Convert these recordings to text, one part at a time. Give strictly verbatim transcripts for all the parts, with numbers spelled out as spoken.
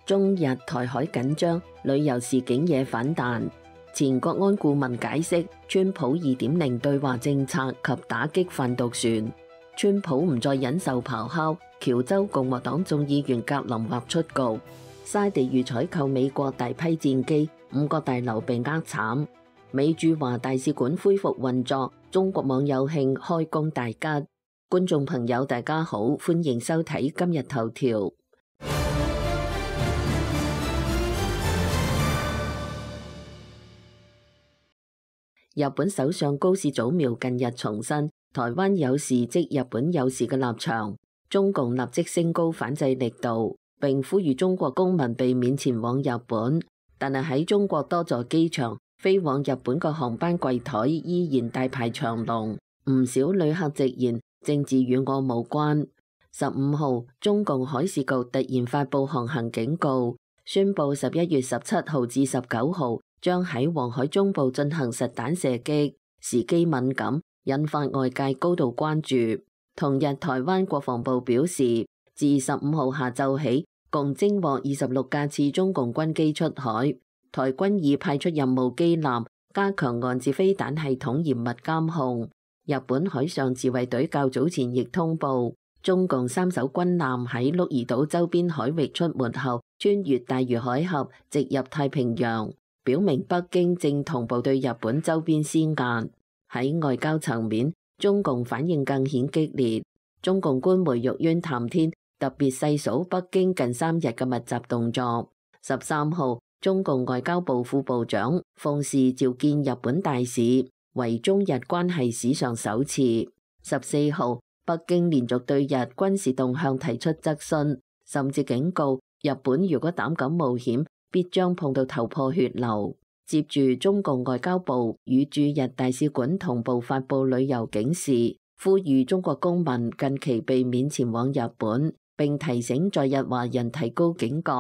中日台海緊張，旅遊事件惹反彈。前國安顧問解釋川普二點零對華政策及打擊販毒船。川普唔再忍受咆哮，喬州共和黨眾議員格林劃出局。沙地預採購美國大批戰機，五個大樓被呃慘。美駐華大使館恢復運作，中國網友慶開工大吉。觀眾朋友大家好，歡迎收睇今日頭條。日本首相高市早苗近日重申台灣有事即日本有事嘅立場，中共立即升高反制力度，並呼籲中國公民避免前往日本。但係喺中國多座機場，飛往日本嘅航班櫃台依然大排長龍，唔少旅客直言政治與我無關。十五號，中共海事局突然發布航行警告，宣布十一月十七號至十九號將喺黃海中部進行實彈射擊，時機敏感，引發外界高度關注。同日，台灣國防部表示，自十五號下晝起，共偵獲二十六架次中共軍機出海，台軍已派出任務機艦，加強岸置飛彈系統嚴密監控。日本海上自衛隊較早前亦通報，中共三艘軍艦喺鹿兒島周邊海域出沒後，穿越大隅海峽，直入太平洋，表明北京正同步對日本周邊施壓。喺外交層面，中共反應更顯激烈。中共官媒玉淵談天特別細數北京近三日嘅密集動作。十三號，中共外交部副部長奉使召見日本大使，為中日關係史上首次。十四號，北京連續對日軍事動向提出質詢，甚至警告日本如果膽敢冒險，必將碰到頭破血流。接住，中共外交部與駐日大使館同步發布旅遊警示，呼籲中國公民近期避免前往日本，並提醒在日華人提高警覺。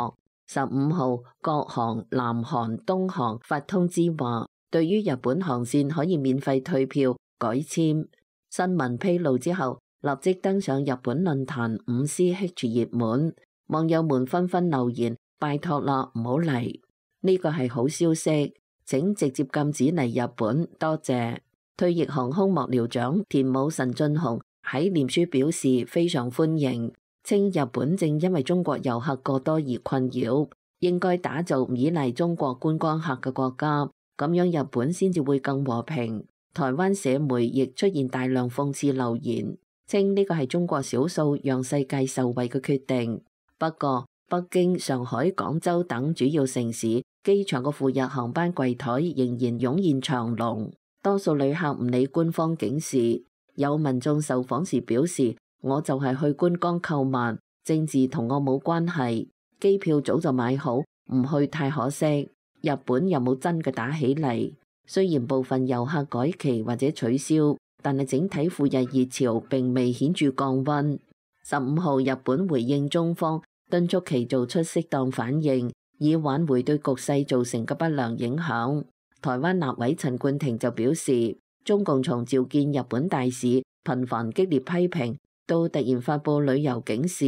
十五號，國航、南韓、東航發通知話，對於日本航線可以免費退票、改簽。新聞披露之後，立即登上日本論壇五 C H 熱門，網友們紛紛留言：拜託啦，唔好嚟。呢個係好消息，請直接禁止嚟日本，多謝。退役航空幕僚長田武神俊雄喺臉書表示非常歡迎，稱日本正因為中國遊客過多而困擾，應該打造唔依賴中國觀光客嘅國家，咁樣日本先至會更和平。台灣社媒亦出現大量諷刺留言，稱呢個係中國少數讓世界受惠嘅決定。不過，北京、上海、廣州等主要城市機場嘅赴日航班櫃台仍然湧現長龍，多數旅客唔理官方警示。有民眾受訪時表示：我就係去觀光購物，政治同我冇關係，機票早就買好，唔去太可惜。日本又冇真嘅打起嚟，雖然部分遊客改期或者取消，但係整體赴日熱潮並未顯著降溫。十五號，日本回應中方，敦促其做出適當反應，以挽回對局勢造成嘅不良影響。台灣立委陳冠廷就表示，中共從召見日本大使、頻繁激烈批評，到突然發布旅遊警示，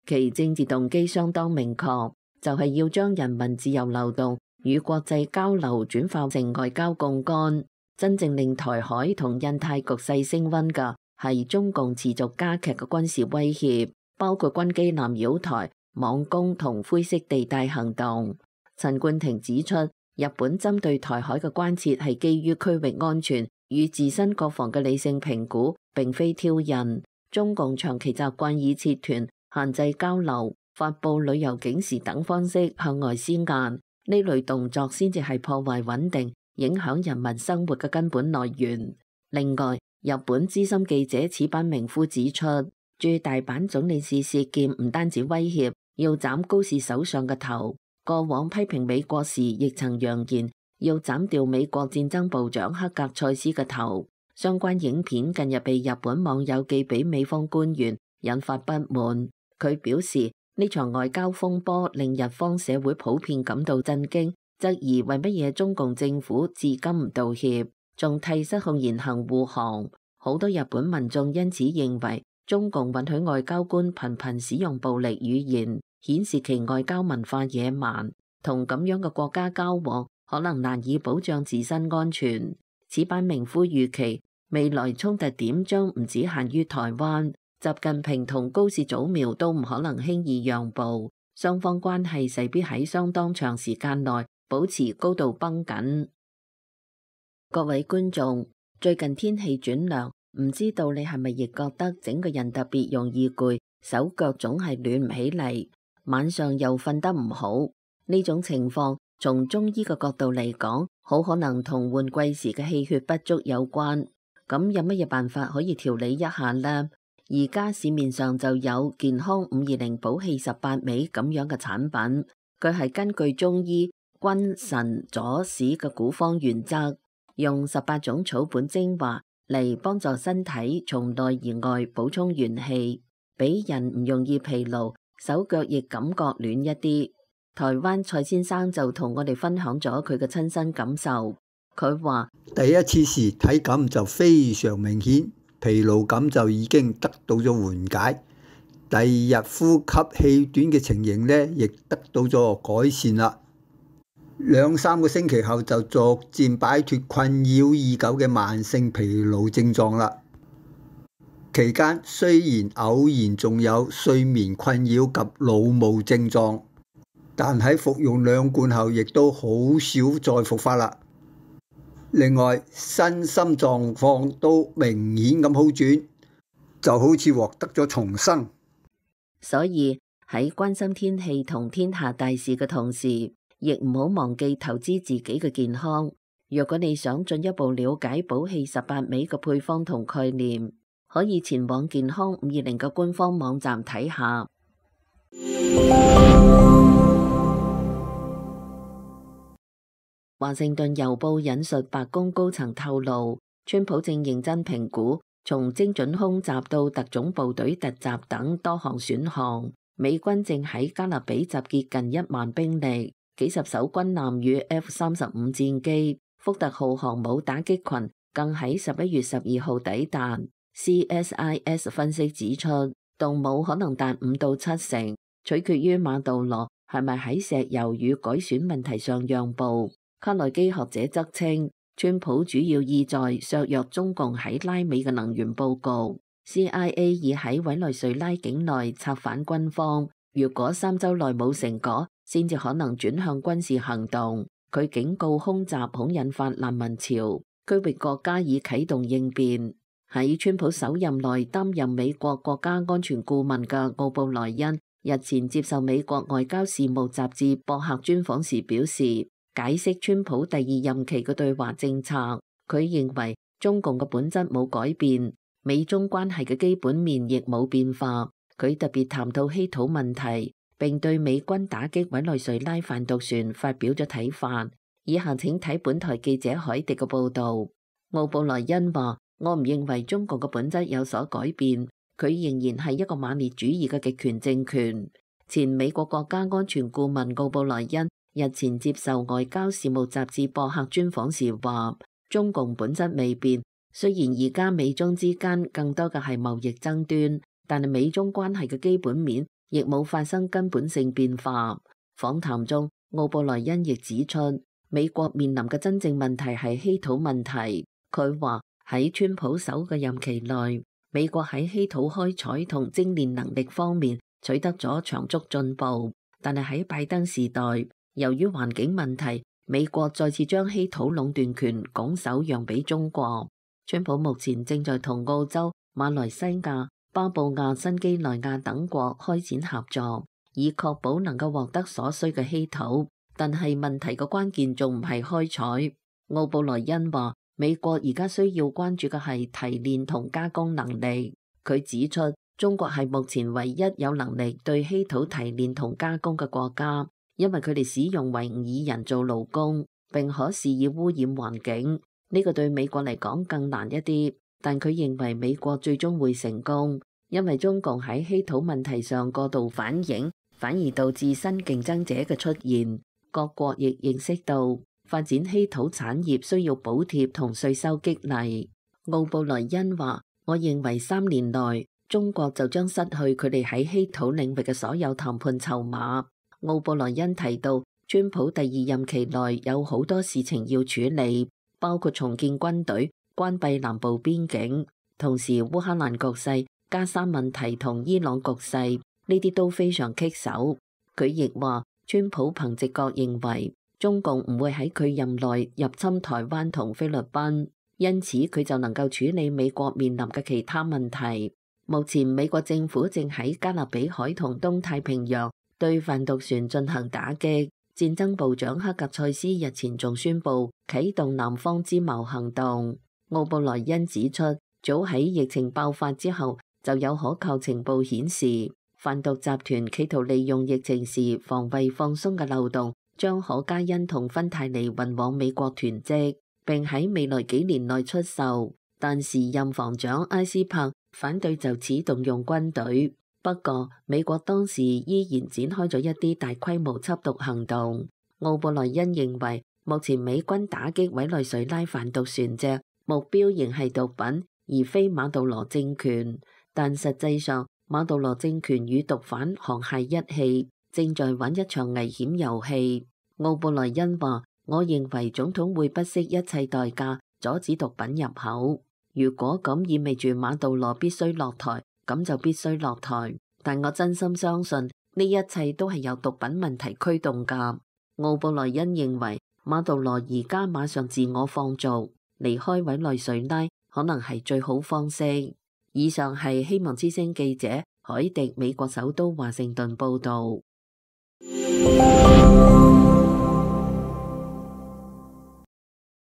其政治動機相當明確，就係要將人民自由流動與國際交流轉化成外交槓桿。真正令台海同印太局勢升溫嘅係中共持續加劇嘅軍事威脅，包括軍機艦擾台、網攻同灰色地帶行動。陳冠廷指出，日本針對台海嘅關切係基於區域安全與自身國防嘅理性評估，並非挑釁。中共長期習慣以切團、限制交流、發布旅遊警示等方式向外施壓，呢類動作先至係破壞穩定、影響人民生活嘅根本來源。另外，日本資深記者矢板明夫指出，駐大阪總領事事件唔單止威脅要斬高市首相嘅頭，過往批評美國時亦曾揚言要斬掉美國戰爭部長克格塞斯嘅頭。相關影片近日被日本網友寄俾美方官員，引發不滿。佢表示呢場外交風波令日方社會普遍感到震驚，質疑為乜嘢中共政府至今唔道歉，仲替失控言行護航。好多日本民眾因此認為中共允許外交官頻頻使用暴力語言，顯示其外交文化野蠻，同咁樣嘅國家交往可能難以保障自身安全。此版明夫預期未來衝突點將唔只限於台灣，習近平同高市早苗都唔可能輕易讓步，雙方關係勢必喺相當長時間內保持高度繃緊。各位觀眾，最近天氣轉涼，唔知道你係咪亦覺得整個人特別容易攰，手腳總係暖唔起嚟，晚上又瞓得唔好。呢種情況從中醫嘅角度嚟講，好可能同換季時嘅氣血不足有關。咁有乜嘢辦法可以調理一下呢？而家市面上就有健康五二零補氣十八味咁樣嘅產品，佢係根據中醫君臣佐使嘅古方原則，用十八種草本精華嚟幫助身體從內而外補充元氣，俾人唔容易疲勞，手腳亦感覺暖一啲。台灣蔡先生就同我哋分享咗佢嘅親身感受，佢話第一次時體感就非常明顯，疲勞感就已經得到咗緩解，第二日呼吸氣短嘅情形呢，亦得到咗改善啦。兩三個星期後就逐漸擺脫困擾已久嘅慢性疲勞症狀啦。期間雖然偶然仲有睡眠困擾及腦霧症狀，但喺服用兩罐後亦都好少再復發啦。另外身心狀況都明顯咁好轉，就好似獲得咗重生。所以喺關心天氣同天下大事嘅同時，亦唔好忘記投資自己嘅健康。若果你想進一步了解補氣十八味嘅配方同概念，可以前往健康五二零嘅官方網站睇下。華盛頓郵報引述白宮高層透露，川普正認真評估從精準空襲到特種部隊突襲等多項選項。美軍正喺加勒比集結近一萬兵力，幾十艘軍艦與 F 三十五戰機，福特號航母打擊群更喺十一月十二號抵達。C S I S 分析指出，動武可能達五到七成，取決於馬杜羅係咪喺石油與改選問題上讓步。卡內基學者則稱，川普主要意在削弱中共喺拉美嘅能源佈局。C I A 已喺委內瑞拉境內策反軍方，如果三週內冇成果，先至可能轉向軍事行動。佢警告空襲恐引發難民潮，區域國家已啟動應變。喺川普首任內擔任美國國家安全顧問嘅奧布萊恩日前接受美國外交事務雜誌博客專訪時表示，解釋川普第二任期嘅對華政策，佢認為中共嘅本質冇改變，美中關係嘅基本面亦冇變化。佢特別談到稀土問題，並對美軍打擊委內瑞拉販毒船發表咗睇法。以下請睇本台記者海迪嘅報導。奧布萊恩話：我唔認為中國嘅本質有所改變，佢仍然係一個馬列主義嘅極權政權。前美國國家安全顧問奧布萊恩日前接受外交事務雜誌博客專訪時話：中共本質未變，雖然而家美中之間更多嘅係貿易爭端，但係美中關係嘅基本面亦冇發生根本性變化。訪談中，奧布萊恩亦指出，美國面臨嘅真正問題係稀土問題。佢話喺川普首嘅任期內，美國喺稀土開採同精煉能力方面取得咗長足進步，但係喺拜登時代，由於環境問題，美國再次將稀土壟斷權拱手讓俾中國。川普目前正在同澳洲、馬來西亞、巴布亞新幾內亞等國開展合作，以確保能夠獲得所需嘅稀土。但係問題嘅關鍵仲唔係開採。奧布萊恩話：美國而家需要關注嘅係提煉同加工能力。佢指出，中國係目前唯一有能力對稀土提煉同加工嘅國家，因為佢哋使用維吾爾人做勞工，並可肆意污染環境。呢個對美國嚟講更難一啲，但佢認為美國最終會成功，因為中共喺稀土問題上過度反應，反而導致新競爭者嘅出現。各國亦認識到發展稀土產業需要補貼同稅收激勵。奧布萊恩話：我認為三年內中國就將失去佢哋喺稀土領域嘅所有談判籌碼。奧布萊恩提到，川普第二任期內有好多事情要處理，包括重建軍隊、關閉南部邊境，同時烏克蘭局勢、加沙問題同伊朗局勢呢啲都非常棘手。佢亦話，川普憑直覺認為中共唔會喺佢任內入侵台灣同菲律賓，因此佢就能夠處理美國面臨嘅其他問題。目前美國政府正喺加勒比海同東太平洋對販毒船進行打擊。戰爭部長克格塞斯日前仲宣布啟動南方之矛行動。奧布萊恩指出，早喺疫情爆發之後就有可靠情報顯示，販毒集團企圖利用疫情時防衛放鬆嘅漏洞，將可卡因同芬太尼運往美國囤積，並喺未來幾年內出售。但時任防長埃斯珀反對就此動用軍隊。不過，美國當時依然展開咗一啲大規模緝毒行動。奧布萊恩認為，目前美軍打擊委內瑞拉販毒船隻，目標仍係毒品，而非馬杜羅政權。但實際上，馬杜羅政權與毒販沆瀣一氣，正在玩一場危險遊戲。奧布萊恩話：我認為總統會不惜一切代價阻止毒品入口。如果咁意味住馬杜羅必須落台，咁就必須落台。但我真心相信呢一切都係由毒品問題驅動㗎。奧布萊恩認為馬杜羅而家馬上自我放逐，離開委內瑞拉可能係最好方式。以上係希望之聲記者海迪美國首都華盛頓報導。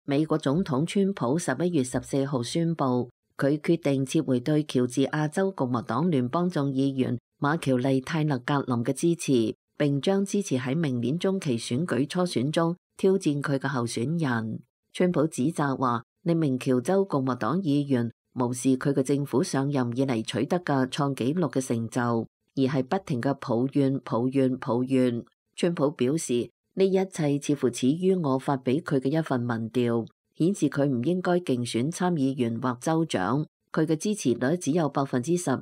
美國總統川普十一月十四號宣布，佢決定撤回對喬治亞州共和黨聯邦眾議員馬喬麗泰勒格林嘅支持，並將支持喺明年中期選舉初選中挑戰佢嘅候選人。川普指責話，呢名喬州共和黨議員無視佢嘅政府上任以嚟取得嘅創紀錄嘅成就，而係不停嘅抱怨、抱怨、抱怨。川普表示，呢一切似乎始於我發俾佢嘅一份民調，顯示佢唔應該競選參議員或州長。佢嘅支持率只有百分之十二，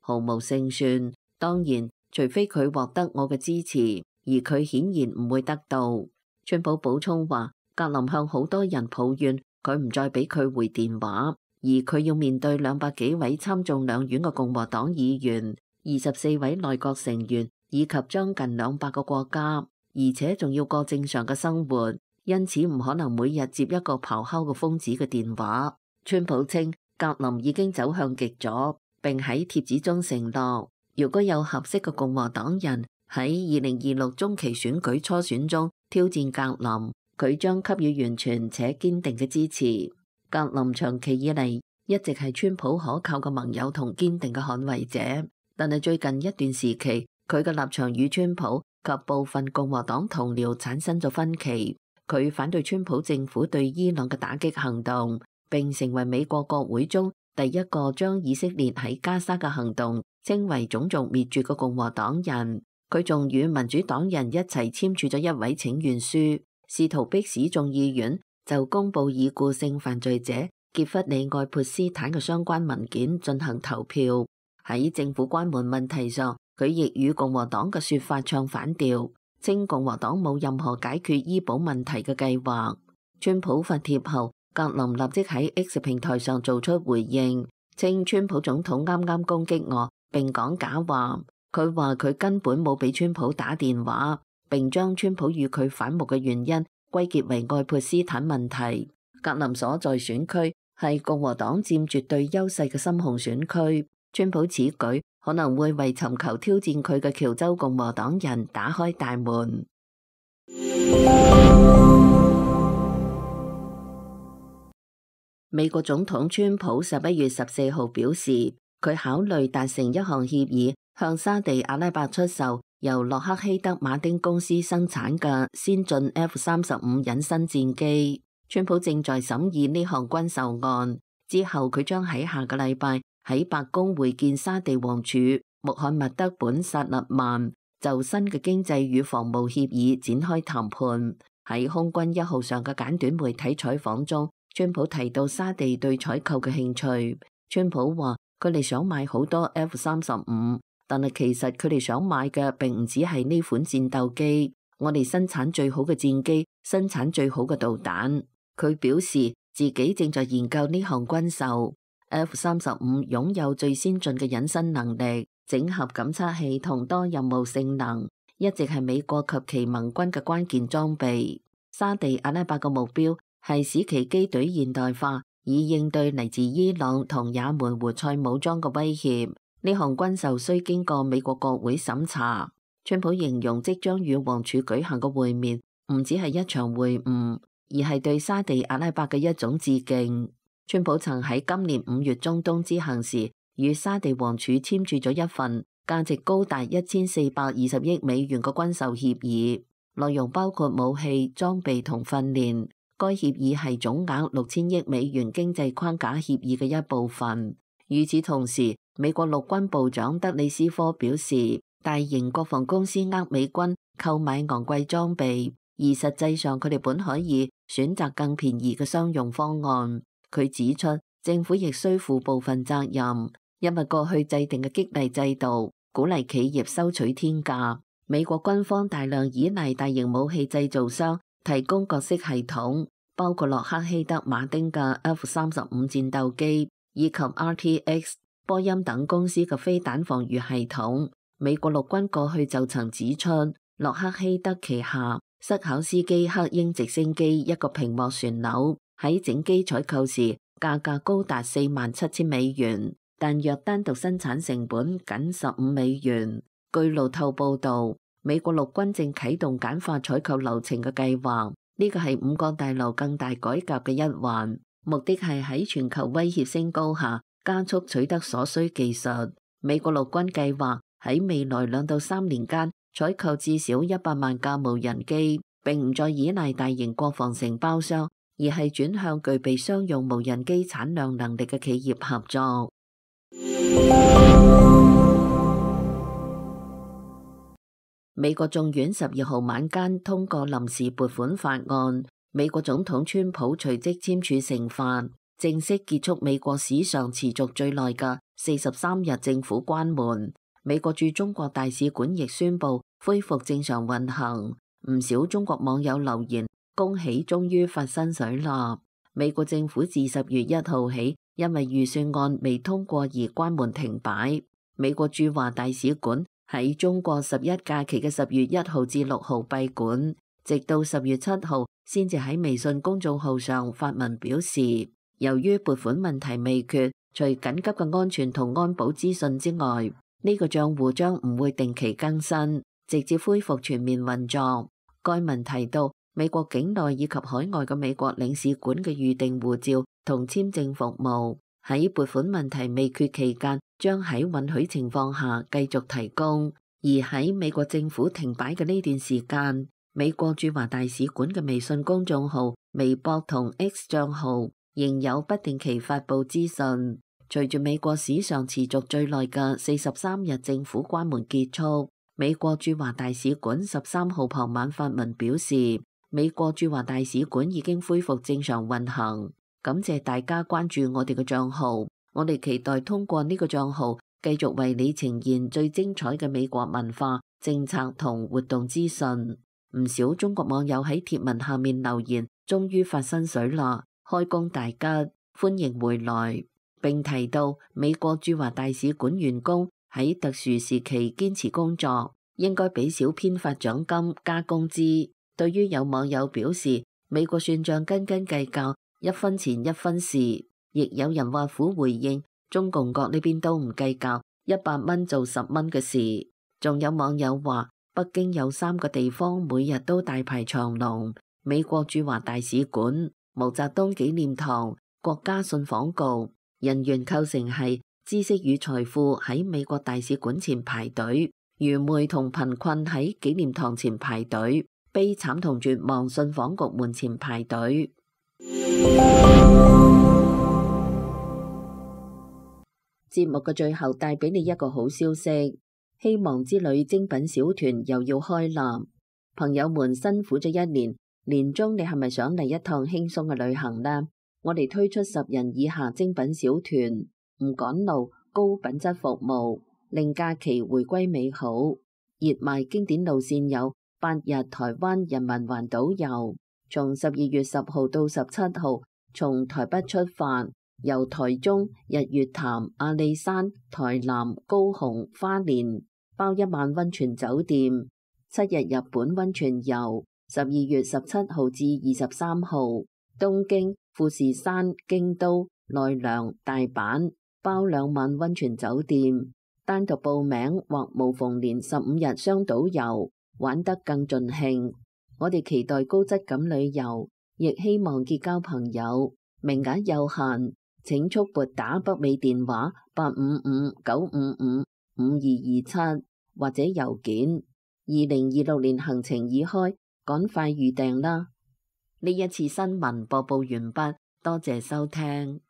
毫無勝算。當然，除非佢獲得我嘅支持，而佢顯然唔會得到。川普補充話，格林向好多人抱怨佢唔再俾佢回電話，而佢要面對兩百幾位參眾兩院嘅共和黨議員、二十四位內閣成員以及將近兩百個國家。而且仲要過正常嘅生活，因此唔可能每日接一個咆哮嘅瘋子嘅電話。川普稱格林已經走向極左，並喺貼紙中承諾，如果有合適嘅共和黨人喺二零二六中期選舉初選中挑戰格林，佢將給予完全且堅定嘅支持。格林長期以嚟一直係川普可靠嘅盟友同堅定嘅捍衛者，但係最近一段時期，佢嘅立場與川普及部分共和黨同僚產生咗分歧。佢反對川普政府對伊朗嘅打擊行動，並成為美國國會中第一個將以色列喺加沙嘅行動稱為種族滅絕嘅共和黨人。佢仲與民主黨人一齊簽署咗一位請願書，試圖迫使眾議院就公布已故性犯罪者傑弗里愛潑斯坦嘅相關文件進行投票。喺政府關門問題上，佢亦與共和黨嘅說法唱反調，稱共和黨冇任何解決醫保問題嘅計劃。川普發帖後，格林立即喺 X 平台上做出回應，稱川普總統啱啱攻擊我，並講假話。佢話佢根本冇俾川普打電話，並將川普與佢反目嘅原因歸結為愛潑斯坦問題。格林所在選區係共和黨佔絕對優勢嘅深紅選區，川普此舉可能會為尋求挑戰佢嘅喬州共和黨人打開大門。美國總統川普十一月十四號表示，佢考慮達成一項協議，向沙地阿拉伯出售由洛克希德馬丁公司生產嘅先進 F 三十五隱身戰機。川普正在審議呢項軍售案，之後佢將喺下個禮拜喺白宮會見沙地王儲穆罕默德本薩勒曼，就新嘅經濟與防務協議展開談判。喺空軍一號上嘅簡短媒體採訪中，川普提到沙地對採購嘅興趣。川普話佢哋想買好多 F 三十五，但係其實佢哋想買嘅並唔止係呢款戰鬥機。我哋生產最好嘅戰機，生產最好嘅導彈。佢表示自己正在研究呢項軍售。F 三十五擁有最先進嘅隱身能力、整合感測器同多任務性能，一直係美國及其盟軍嘅關鍵裝備。沙地阿拉伯嘅目標係使其機隊現代化，以應對嚟自伊朗同也門胡塞武裝嘅威脅。呢項軍售需經過美國國會審查。川普形容即將與王儲舉行嘅會面唔只係一場會晤，而係對沙地阿拉伯嘅一種致敬。川普曾喺今年五月中東之行時，與沙地王儲簽署咗一份價值高達一千四百二十億美元嘅軍售協議，內容包括武器、裝備同訓練。該協議係總額六千億美元經濟框架協議嘅一部分。與此同時，美國陸軍部長德里斯科表示，大型國防公司呃美軍購買昂貴裝備，而實際上佢哋本可以選擇更便宜嘅商用方案。佢指出，政府亦需負部分責任，因為過去制定嘅激勵制度鼓勵企業收取天價。美國軍方大量依賴大型武器製造商提供各式系統，包括洛克希德馬丁嘅 F 三十五戰鬥機，以及 R T X、波音等公司嘅飛彈防禦系統。美國陸軍過去就曾指出，洛克希德旗下塞考斯基克鷹直升機一個屏幕旋鈕喺整機採購時價格高達四萬七千美元，但若單獨生產成本僅十五美元。據路透報道，美國陸軍正啟動簡化採購流程嘅計劃，呢個係五角大樓更大改革嘅一環，目的係喺全球威脅升高下加速取得所需技術。美國陸軍計劃喺未來兩到三年間採購至少一百萬架無人機，並唔再依賴大型國防承包商，而係轉向具備商用無人機產量能力嘅企業合作。美國眾院十二號晚間通過臨時撥款法案，美國總統川普隨即簽署成法，正式結束美國史上持續最耐嘅四十三日政府關門。美國駐中國大使館亦宣布恢復正常運行。唔少中國網友留言恭喜終於發薪水啦！美國政府自十月一號起因為預算案未通過而關門停擺。美國駐華大使館喺中國十一假期嘅十月一號至六號閉館，直到十月七號先至喺微信公眾號上發文表示，由於撥款問題未決，除緊急嘅安全同安保資訊之外，呢個賬戶將唔會定期更新，直接恢復全面運作。該文提到，美國境內以及海外嘅美國領事館嘅預定護照同簽證服務喺撥款問題未決期間，將喺允許情況下繼續提供。而喺美國政府停擺嘅呢段時間，美國駐華大使館嘅微信公眾號、微博同 X 賬號仍有不定期發布資訊。隨住美國史上持續最耐嘅四十三日政府關門結束，美國駐華大使館十三號傍晚發文表示，美國駐華大使館已經恢復正常運行，感謝大家關注我哋嘅賬號，我哋期待通過呢個賬號繼續為你呈現最精彩嘅美國文化、政策同活動資訊。唔少中國網友喺貼文下面留言，終於發薪水啦，開工大吉，歡迎回來。並提到美國駐華大使館員工喺特殊時期堅持工作，應該俾小編發獎金加工資。對於有網友表示美國算賬斤斤計較，一分錢一分事，亦有人挖苦回應中共國呢邊都唔計較一百蚊做十蚊嘅事。仲有網友話北京有三個地方每日都大排長龍，美國駐華大使館、毛澤東紀念堂、國家信訪局。人員構成係知識與財富喺美國大使館前排隊，愚昧同貧困喺紀念堂前排隊，悲慘同絕望信訪局門前排隊。節目嘅最後帶俾你一個好消息，希望之旅精品小團又要開立。朋友們辛苦咗一年，年終你係咪想嚟一趟輕鬆嘅旅行呢？我哋推出十人以下精品小團，唔趕路，高品質服務，令假期回歸美好。熱賣經典路線有八日台灣人民環島遊，從十二月十號到十七號，從台北出發，由台中、日月潭、阿里山、台南、高雄、花蓮，包一晚溫泉酒店。七日日本溫泉遊，十二月十七號至二十三號，東京、富士山、京都、奈良、大阪，包兩晚溫泉酒店。單獨報名或無縫連十五日雙島遊，玩得更盡興。我哋期待高質感旅遊，亦希望結交朋友。名額有限，請速撥打北美電話八五五九五五五二二七或者郵件。二零二六年行程已開，趕快預訂啦！呢一次新聞播報完畢，多謝收聽。